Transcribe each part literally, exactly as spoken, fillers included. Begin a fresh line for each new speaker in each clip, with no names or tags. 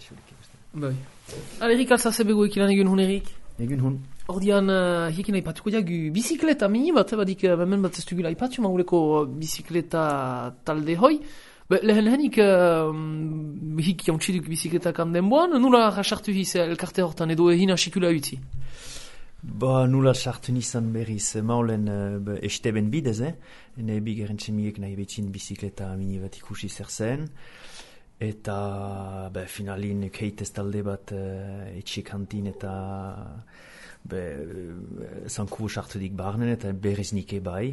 etxurik.
Bai. Erik alzaze begoek ilan egun hun, Erik?
Egun hun.
Ordian, uh, hiekin aipatuko diagu bizikleta mini bat, badik, uh, hemen bat ez dugula aipatu, mauleko bizikleta talde hoi. Be, lehen lehenik, uh, hik jauntxiduk bizikletak denboan, nula rasartu hiz elkarte hortan edo egin asikula utzi?
Ba, nula sartu nizan berriz maulen uh, esteben bidez, eh? Ene bigeren txemiek nahi betzin bizikleta mini bat ikusi zer zen. Eta, be, finalin keitez talde bat uh, etxik hantin eta be, zanku sartu dik barnen eta berriz nike bai.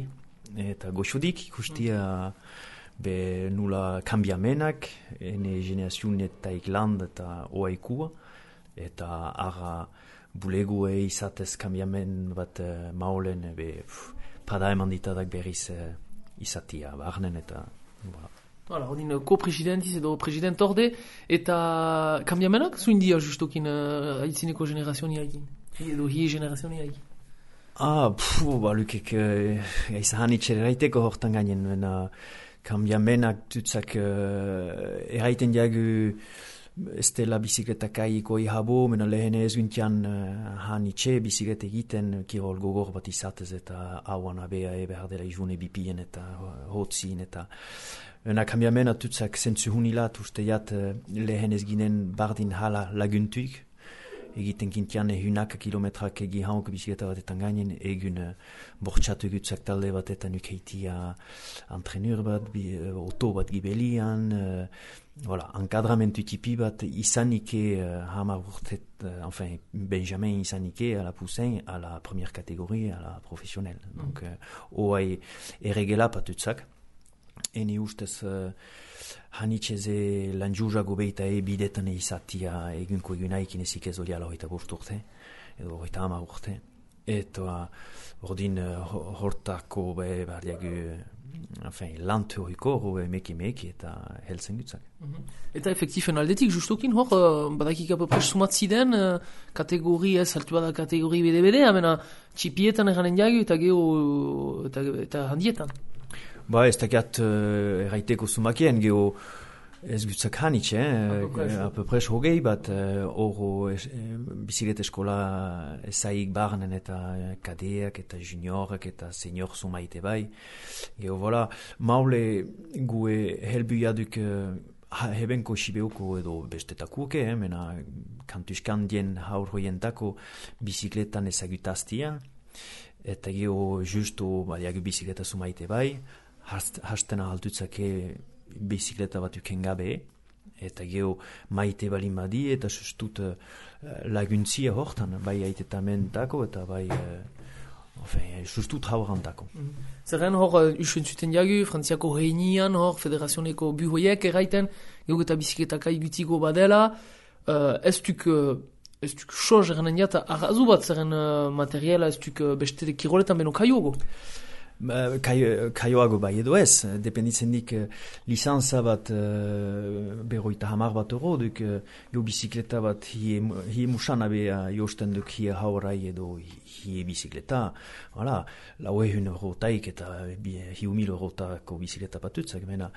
Eta goxodik ikustia be, nula kambiamenak, ene generazioen eta ikland eta oaikua. Eta ara bulegue izatez kambiamen bat uh, maulen, be, pff, pada eman ditadak berriz uh, izatia barnen eta, voilà.
Hala, odin ko-presidentiz edo president orde, eta kambiamenak zuin dia justokin uh, aitzineko generazioa niagin, edo hie generazioa niagin.
Ah, pfu, ba, lukek, uh, izan itxeraiteko hortan gainen, mena kambiamenak tutzak uh, eraiten diagu ez dela bizikletak aiko ihabo, mena lehen ez guntian uh, han itxe biziklete egiten kirol gogor bat izatez eta hauan abea e behar dela izune bipien eta hotzin eta Ena kambiamena tutzak zentzu hunilat usteiat uh, lehen ez ginen bardin hala laguntuik. Egiten kintian ehunak kilometrak egi hauk bizikleta batetan gainen, egun uh, bortxatu gutzak talde batetan ukeitia antrenur bat, bi, uh, oto bat gibelian, uh, voilà, encadramentu tipi bat izanike uh, hamar urtet, uh, enfin, Benjamin izanike a la Poussin, a la première catégorie, a la professionnelle. Mm. Donc, uh, oai erregela patutzak. Eni ustez uh, hanitxeze lan juzago beita e bidetan izatia egunko egunaikin ezik ez oliala hoita bost urte, edo hoita hamar urte. Eta ordin uh, hortako be bardiagu enfin, lantu hoiko hori meki meki eta helzen gutzak.
Mm-hmm. Eta efektifen aldetik justokin hor, uh, badakik apopres sumatziden uh, kategori ez, altu bada kategori bede-bede, amena txipietan eranen jagu eta geho eta, eta handietan.
Ba, ez dakiat uh, erraiteko sumakien, geho ez gutzak hanitxe, eh? Apopres hogei bat horo uh, eh, biziklet eskola ezaik barnen eta kadeak eta juniorak eta senior sumaite bai. Geho, voilà, maule gue helbuiaduk uh, hebenko sibeuko edo bestetakuke, eh? Mena kantuskan dien haur hoientako bizikletan ezagutaztia, eta geho justo badiagu bizikleta sumaite bai, hastena altutzake bizikleta bat uken gabe, eta geho maite balin badi, eta sustut uh, laguntzia hortan, bai aitetamentako, eta bai uh, enfin, sustut haurantako.
Mm. Zerren hor, uh, usen zuten jagu, Frantziako reinian, hor, federazioneko buhoiek erraiten, geho eta bizikletaka igutiko badela, uh, ez duk, uh, ez duk soz erranen jata, arrazu bat zerren uh, materiala, ez duk uh, beste kiroletan beno kaiogo.
Kaioago bai edo ez, dependitzen dik uh, lisanza bat uh, berroita hamar bat euro, duk uh, jo bizikleta bat hie, hie musan abea josten duk hie haurai edo hie bizikleta, voilà, lau ehun eurotaik eta hiu mil eurotako bizikleta batutzak, mena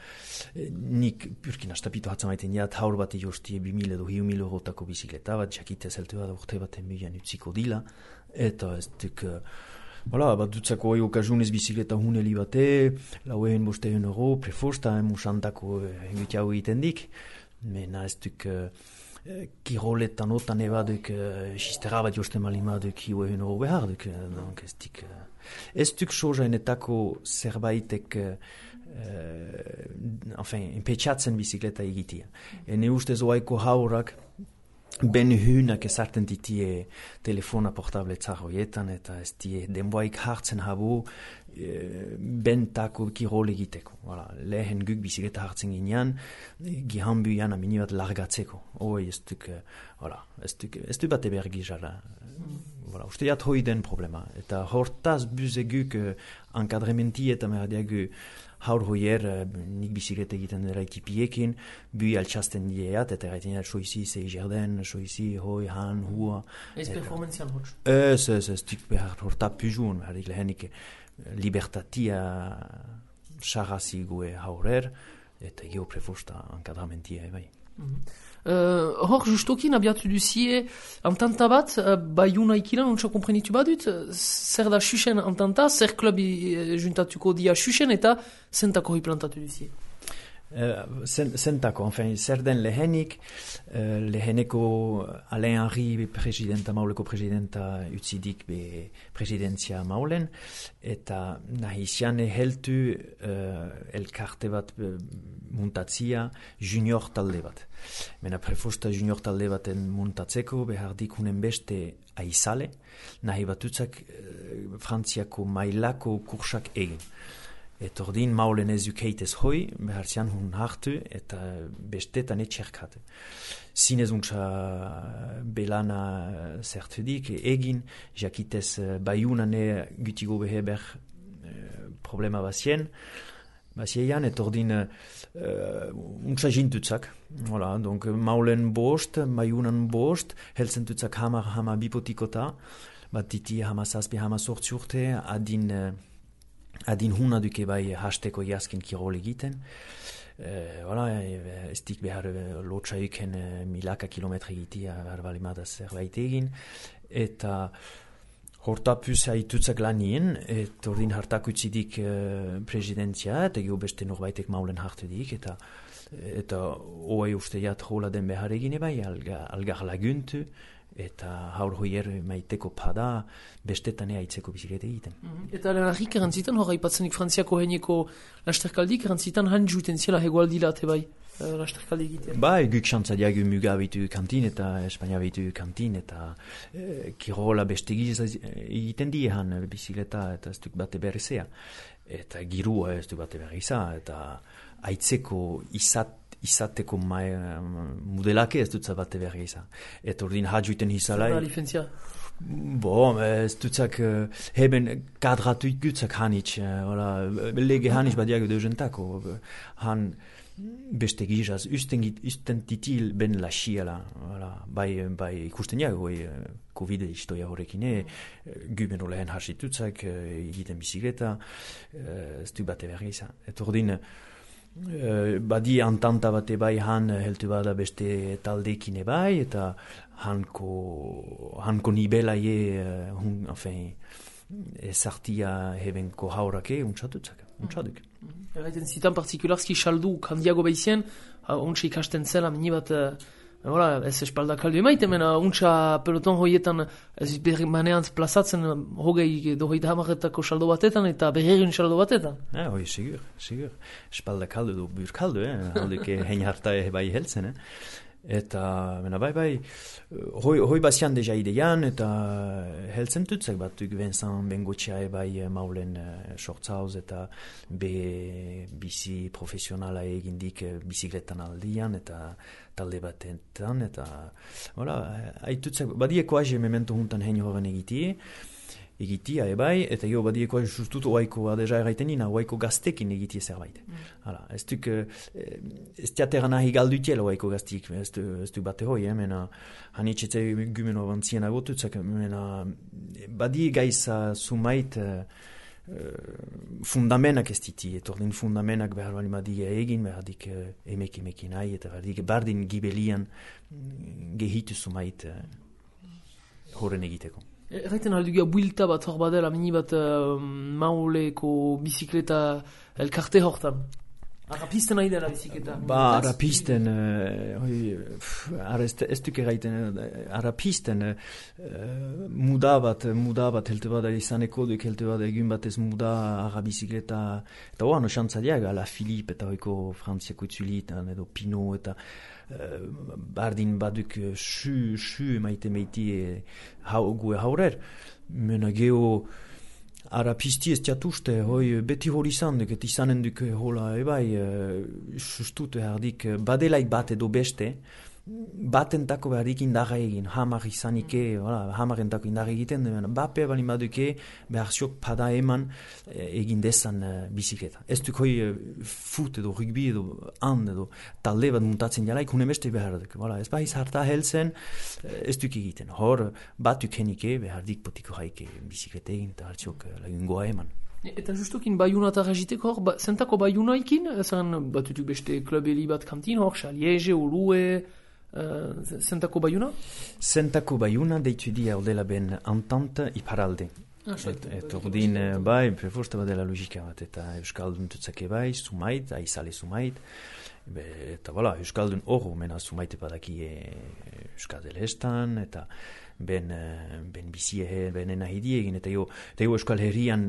nik purkin astapitu hatzen maiten jat haur bat josti bi mil edo hiu mil eurotako bizikleta bat, jakite zeltu bat urte baten bilan utziko dila, eta ez duk uh, Voilà, bat dutzako oi okazunez bizikleta huneli bate, lau ehen boste egun euro, prefosta, musantako engutiago egiten dik, mena ez duk uh, kiroletan otan ebaduk uh, sistera bat josten malimaduk hiu egun euro behar duk, donc ez dik uh, ez duk sojainetako zerbaitek uh, enfin, empetxatzen bizikleta egitia. Ene ustez oaiko haurak ben hünak ezarten ditie telefona portable txarroietan eta ez die denboaik hartzen habu e, bentako kirol egiteko. Voilà. Lehen guk bizikleta hartzen ginean, gihanbu jana mini bat largatzeko. Hoi ez duk, voilà, ez duk, ez duk bate behar gizara. Voilà, uste jat hoi den problema. Eta hortaz buze guk uh, enkadrementi eta merdiagu haur hoier uh, nik bizikleta egiten dela ekipiekin, bui altxasten dieat, eta erraiten jat soizi zei jerden, soizi hoi, han, hua.
Ez performantzian hotz?
Ez, ez, ez duk behar horta puzun, behar lehenik libertatia xarrazi gue haurer, eta geho prefosta enkadrementia bai.
Mm-hmm. Uh, hor justokin abiatu duzie entanta bat, uh, Baiuna ikilan, untsa komprenitu badut, zer da xuxen entanta, zer klub uh, juntatuko dia xuxen eta zentako hiplantatu duzie.
Uh, zentako, enfin, zer den lehenik, uh, leheneko Alain Henri presidenta, mauleko presidenta utzidik be presidentzia maulen, eta nahi ziane heltu uh, elkarte bat uh, muntatzia junior talde bat. Mena prefosta junior talde baten muntatzeko behar dikunen beste aizale, nahi batutzak uh, Frantziako mailako kursak egin. Eta ordin maulen ez ukeitez hoi, behar zian hun hartu eta bestetan etxerkatu. Zinez untsa belana zertudik egin, jakitez Baiunane gutigo behe ber problema bazien, baziean, eta ordin uh, untsa jintutzak. Voilà, donc maulen bost, Baiunan bost, helzen tutzak hamar hama bipotikota, bat diti hama zazpi hama sortzi urte, adin... Uh, adin huna duke bai hasteko jaskin kirol egiten. Uh, voilà, ez dik behar lotsa uken uh, milaka kilometre egitia behar balimada zerbait egin. Eta hortapuz haitutzak lanien, eta ordin hartak utzidik uh, presidentzia, eta geho beste norbaitek maulen hartu dik, eta eta oai uste jat hola den behar egine bai, alga, algar laguntu, eta haur hoier maiteko pada bestetan eitzeko bizikleta egiten.
Mm-hmm. Eta lehenarik erantzitan, hor haipatzenik Frantziako heineko lasterkaldik, erantzitan han juten ziela hegoaldilate bai, lasterkaldi egiten.
Bai, guk xantza diagu muga bitu kantin eta Espainia bitu kantin eta eh, kirola bestegiz egiten die han bizikleta eta ez duk bate berrizea. Eta girua ez duk bate berriza eta aitzeko izat izateko mai, modelake ez dutza bate berri izan. Eta ordin hadjuiten izalai...
Zerra lifentzia?
Bo, ez dutzak uh, heben kadratu ikutzak hanitz. Uh, lege hanitz badiago deuzentako. Han beste gizaz, usten, usten titil ben lasiela. Bai, bai ikusten jago, uh, Covid istoia horrekine, uh, guben olehen hasitutzak, uh, egiten bizikleta, uh, ez du bate berri izan. Eta ordin... Uh, badi antanta bate bai han heltu bada beste taldekine bai eta hanko hanko nibela je uh, hun, enfin ezartia hebenko haurake untsatutzak, untsaduk.
Erraiten zitan partikularski saldu kandiago behizien, untsa ikasten zela mini bat Voilà, ez espalda kaldu emaite, mena untsa peloton hoietan ez berri maneantz plazatzen hogei edo hogeita hamarretako saldo batetan eta berregun saldo batetan.
Ja, hoi, sigur, sigur. Espalda kaldu du bur kaldu, eh? Alduke hein harta bai heltzen, eh? Eta, mena bai, bai, hoi, hoi bazian deja ideian, eta heltzen tutzak batuk Vincent Bengotxea bai maulen uh, sortzauz eta be bizi profesionala egindik uh, bizikletan aldian, eta talde batetan, eta, hola, haitutzak, badieko aje memento juntan hein horren egitie, egitia ebai, eta jo badieko aje sustut oaiko adeja erraiten nina, oaiko gaztekin egitie zerbait. Mm. Hala, ez duk, ez teatera nahi galdutiela oaiko gaztik, ez du, ez du bate hoi, eh, mena, hanitxetze gumen obantzien agotutzak, mena, badi gaiza sumait, Uh, fundamenak ez diti, etordin fundamenak behar bali madia egin, behar dik uh, emek emekin nahi, eta behar dik bardin gibelian gehitu sumait uh, horren egiteko.
Erraiten aldugia builta bat hor badela, mini bat uh, mauleko bizikleta elkarte hortan. Arrapisten nahi dela bizikleta.
Ba, arrapisten, uh, ez duk erraiten, arrapisten uh, muda bat, muda bat helte bada izaneko duk helte bada egun bat ez muda arra bizikleta, eta oan osantza diaga, la Philippe eta hoiko Frantziako itzulitan edo Pino eta uh, bardin baduk su, su maite meiti hau gue haurer, mena geho Arapisti ez jatuste, hoi beti hori izan duk, et izanen duk hola ebai, uh, sustut erdik, badelaik bat edo beste, batentako berdik indarra egin, hamar izanike, voilà, hamarentako indarra egiten, bape bali baduke, behar ziok pada eman egin dezan uh, bizikleta. Ez duk hoi uh, fut edo rugby edo hand edo talde bat muntatzen jalaik, hune beste behar duk. Voilà, ez bahiz harta helzen, ez duk egiten. Hor, bat dukenike, behar dik potiko haike bizikleta egin, eta hartziok uh, lagungoa eman.
Eta justokin baiuna eta ragiteko hor, ba, zentako baiunaikin, zaren batutuk beste klubeli bat kantin hor, Xaliege, Olue, uh, zentako baiuna?
Zentako baiuna deitu dia ordela ben entente iparalde.
Ah,
et, et ordin, bai, preforsta badela logika bat, eta Euskaldun tutzake bai, sumait, aizale sumait, be, eta voilà, Euskaldun horro, mena sumaite badaki e, Euskadel estan, eta ben, ben bizie, ben enahidi egin, eta jo, eta jo Euskal Herrian,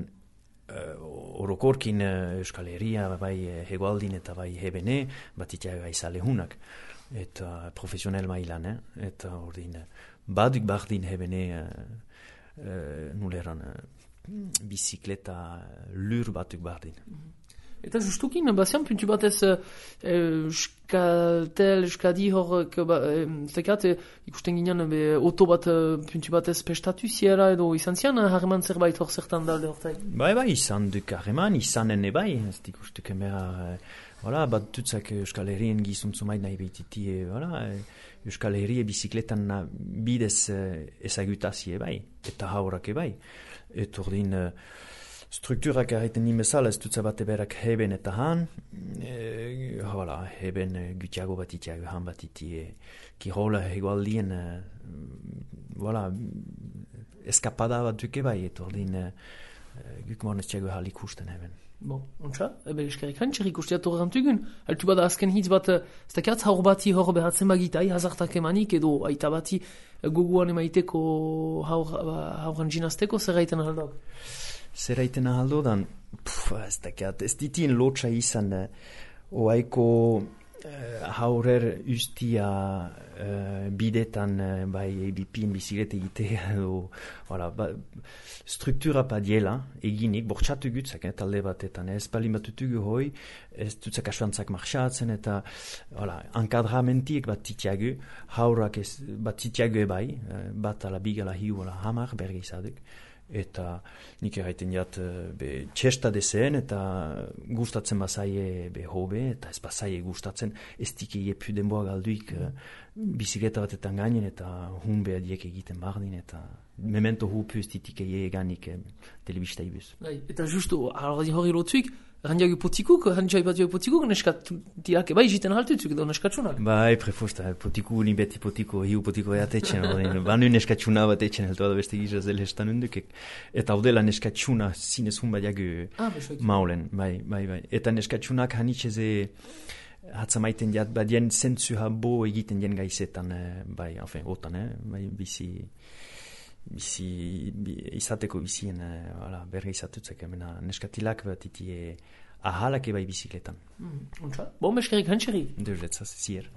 uh, orokorkin uh, Euskal Herria, bai hegoaldin eta bai hebene, bat itiaga aizale hunak, eta profesional mailan, eh? Eta ordin, baduk bardin hebene, uh, Uh, nuleran uh, bizikleta lur batuk bardin.
Eta justukin, bazian puntu batez uh, Euskatel, Euskadi hor, ba, zekat, ikusten ginen be, oto bat uh, puntu batez pestatu ziera edo izan zian harreman zerbait hor zertan dalde hortai?
Bai, bai, izan duk harreman, izanen ebai, ez dikustuk emera, voilà, bat dutzak Euskal Herrien gizuntzu nahi behititi, voilà, Euskal Herrie bizikletan bidez ezagutazie bai, eta haurak bai. Eta ordin, strukturak erraiten nimezala, ez dutza bate berak heben eta han, e, voilà, heben gutiago bat itiago, han bat iti, kirola hegoaldien, voilà, eskapada bat duke bai, eta ordin, guk mornez tiago hal ikusten heben.
Bon, ontsa, ebe eskerrik hantxer ikustiat horrentugun. Altu bada azken hitz bat, ez dakiatz haur bati hor behatzen bagitai, hazartak emanik, edo aita bati goguan emaiteko hauran jinazteko, zer gaiten ahaldok?
Zer gaiten ahaldok, ez dakiat, ez ditien lotxa izan, oaiko haurer ustia uh, bidetan uh, bai E B P-en biziklete egitea edo voilà, ba, struktura padiela eginik, bortxatu gutzak, eh, talde batetan, ez palin batutugu hoi, ez dutzak asuantzak marxatzen eta voilà, ankadramentiek bat titiagu, haurak ez, bat titiagu ebai, uh, bat ala bigala hiu ala hamar berge izaduk. Eta nik erraiten jat be, txesta dezen eta gustatzen bazaie be hobe eta ez bazaie gustatzen ez dike iepu denboa galduik uh, bizikleta batetan gainen eta hun behar diek egiten bardin eta memento hupu ez ditike eganik eh, telebista ibuz.
Eta justu, hori lotzuik, randiago potikuk, randiago ipatio potikuk, neskat diak bai jiten haltutzuk edo neskatsunak?
Bai, prefosta, potiku ni beti potiko, hiu potiko eatetxen, banu neskatsuna bat etxen, heltu da beste gizaz dela estan undukek. Eta haudela neskatsuna zinez hun badiago ah, maulen, bai, bai, bai. Eta neskatsunak hanitxeze hatzamaiten jat badien zentzu habo egiten jen gaizetan, bai, enfin, otan, eh, bai, bizi... bizi izateko bizien uh, berge izatutzek emena neskatilak bat iti ahalak ebai bizikletan.
Mm, bon, eskerik hantxerik.
Deuretzaz, zier.